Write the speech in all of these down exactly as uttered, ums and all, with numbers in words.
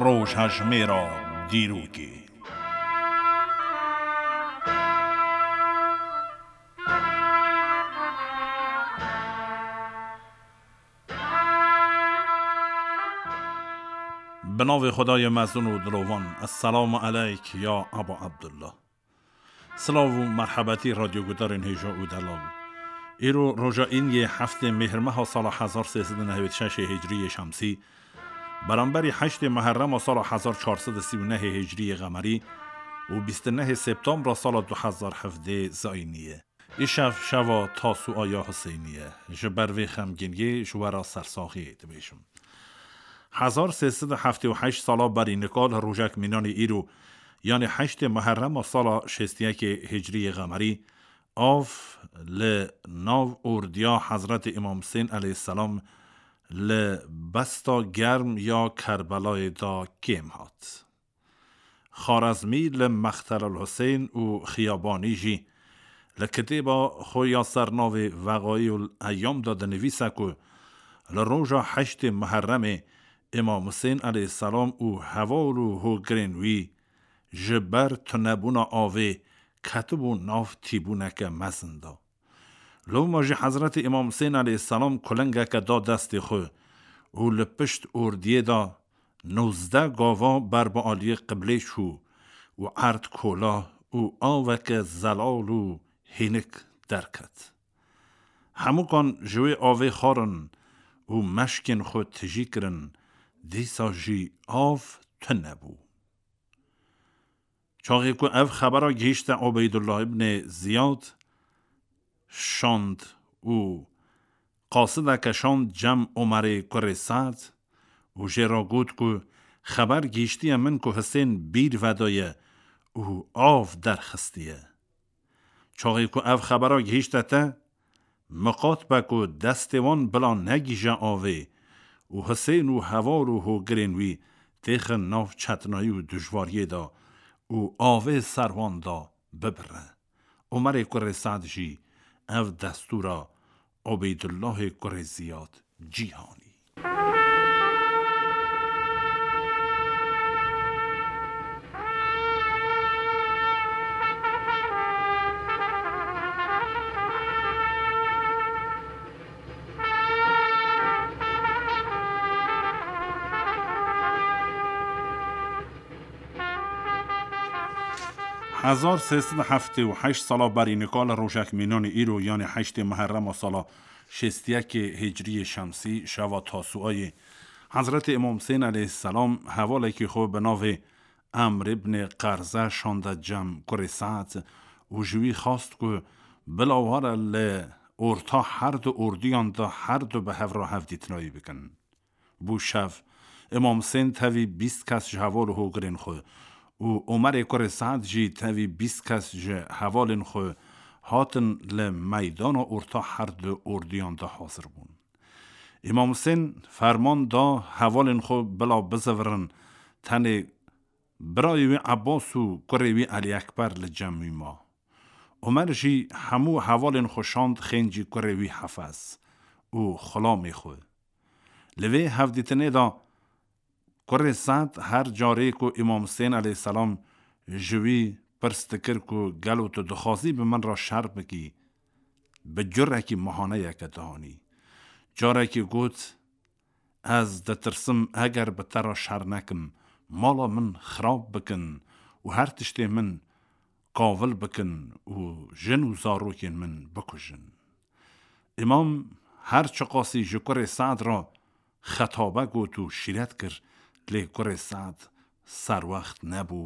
Rojhejmêra dîrokê. Bi navê Xwedayê mezin û dilovan, Esselamu eleyk ya Eba Abdullah. Silav û merhebetî radyogudarên hêja û delal. Îro roja îniyê heftê Mêhrmeha sala hezar sê sed û nehwêd şeşê Hicriyê Şemsî, beramberî heştê Muherrema sala hezar çar sed û sî û nehê Hicriyê Qemerî û bîst û nehê Septembra sala du hezar hevdê Zayînî ye. Îşev şeva Tasu'a ya Huseynî ye. Ji ber vê xemgîniyê ji we re sersaxiyê dibêjim. Hezar sê sed û heftê û heşt sala berî nika li rojek mînanê îro, yanî heştê Muherrema sala şêst û yekê Hicriyê Qemerî, av li nav ordiya Hezretê Îmam Husên eleyhîsselam li Besta Germ ya Kerbelayê de kêm hat. Xarezmî li Mextelul Husên û Xiyabanî jî li kitêba xwe ya ser navê Veqayul Eyam de dinivîse ku li roja heştê Muherremê Îmam Husên eleyhîsselam û heval û hogirên wî ji ber tunebûna avê ketibû nav tîbûneke mezin de. Loma jî Hezretî Îmam Husên eleyhîsselam kulingeke da destê xwe û li pişt ordiyê de nozdeh gava ber bi aliyê qiblê çû û erd kola û aveke zelal û hênik derket. Hemûkan ji wê avê xwarin û meşkên xwe tijî kirin, dîsa jî av tune bû. Çaxê ku ev xebera gihîşte Ubeydullah ibnê Ziyad, şand û qasideke şand cem Omerê kurê Se'd û jê re got ku xeber gihîştiye min ku Hisên bîr vedaye û av derxistiye. Çaxê ku ev xebera gihîşte te, miqat be ku destê wan bila negihîje avê û Hisên û heval û hogirên wî têxin nav çetinayî û dijwariyê de û avê ser wan de bibire. Omerê kurê Se'd jî ev destûra Ubeydullahê kurê Ziyad cî hanî. Hezar sê sed û heftê û heşt sala berî nika li rojek mînanê îro, yanî heştê Muherrema sala şêst û yekê Hicriyê Şemsî, şeva Tasuayê, Hezretê Îmam Husên eleyhîsselam hevalekî xwe bi navê Emr ibnê Qerze şande cem kurê Se'd û ji wî xwest ku bila were li orta her du ordiyan de her du bi hev re hevdîtinayî bikin. Bû şev, Îmam Husên tevî bîst kes ji heval û hogirên xwe û Omerê kurê Se'd jî tevî bîst kes ji hevalên xwe hatin li meydana orta her du ordiyan de hazir bûn. Îmam Husên ferman da hevalên xwe bila bizivirin, tenê birayê wî Ebbas û kurê wî Elî Ekber li cem wî ma. Omer jî hemû hevalên xwe şand xêncî kurê wî Hefez û xulamê xwe. Li vê hevdîtinê de kurê Se'd her carê ku Îmam Husên eleyhîsselam ji wî pirs dikir ku gelo tu dixwazî bi min re şer bikî, bi curekî mihaneyeke dihanî. Carekî got, Ez ditirsim eger bi te re şer nekim, mala min xirab bikin û her tiştê min kavil bikin û jin û zarokên min bikujin. Îmam her çiqasî ji kurê Se'd re xetabe got û şîret kir, lê kurê Se'd serwext nebû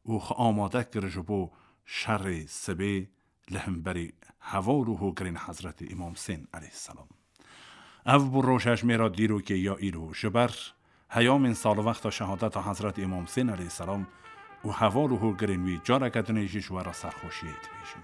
û xwe amade kir ji bo şerê sibê li hemberî heval û hogirên Hezretî Îmam Husên eleyhîsselam. Ev bû rojhejmêra dîrokê ya îro. Ji ber heyamên salwexta şehadeta Hezretî Îmam Husên eleyhîsselam û heval û hogirên wî careke dinê jî ji we re serxweşiyê dibêjim.